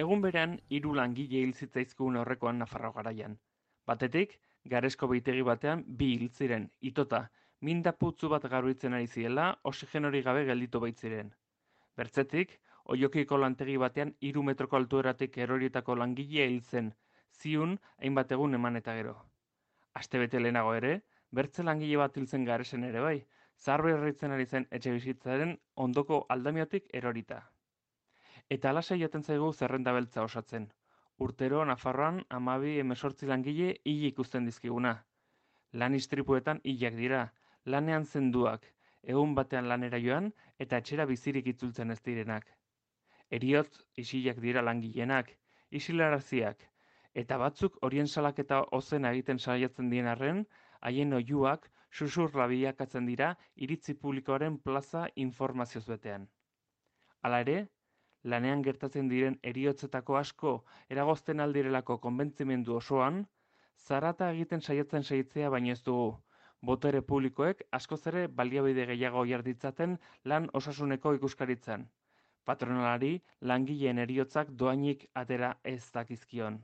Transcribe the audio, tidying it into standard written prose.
Egun berean, 3 langile hil zitzaizkigun aurrekoan Nafarroa Garaian. Batetik, Garezko behitegi batean 2 hil ziren, itota, minda putzu bat garbitzen ari ziela, oxigenorik gabe gelditu baitziren. Bertzetik, Oiokiko lantegi batean 3 metroko altueratik erorietako langilea hil zen, ziun hainbat egun eman eta gero. Astebete lehenago ere, bertze langile bat hil zen Garesen ere bai, zaharberritzen ari zen etxebizitzaren ondoko aldamiotik erorita. Eta alaxe joaten zaigu zerrenda beltza osatzen. Urtero Nafarroan 12-18 langile hil ikusten dizkiguna. Lan istripuetan hilak dira, lanean zenduak, egun batean lanera joan eta etxera bizirik itzultzen ez direnak. Heriotz isilak dira langileenak, isilaraziak, eta batzuk horien salaketa ozen egiten saiatzen dien arren, haien oihuak susurra bilakatzen dira iritzi publikoaren plaza informazioz betean. Hala ere, lanean gertatzen diren heriotzetako asko eragozten aldirelako konbentzimendu osoan, zarata egiten saiatzea baino ez dugu, botere publikoek askoz ere baliabide gehiago jar ditzaten lan osasuneko ikuskaritzan. Patronalari langileen heriotzak dohainik atera ez dakizkion.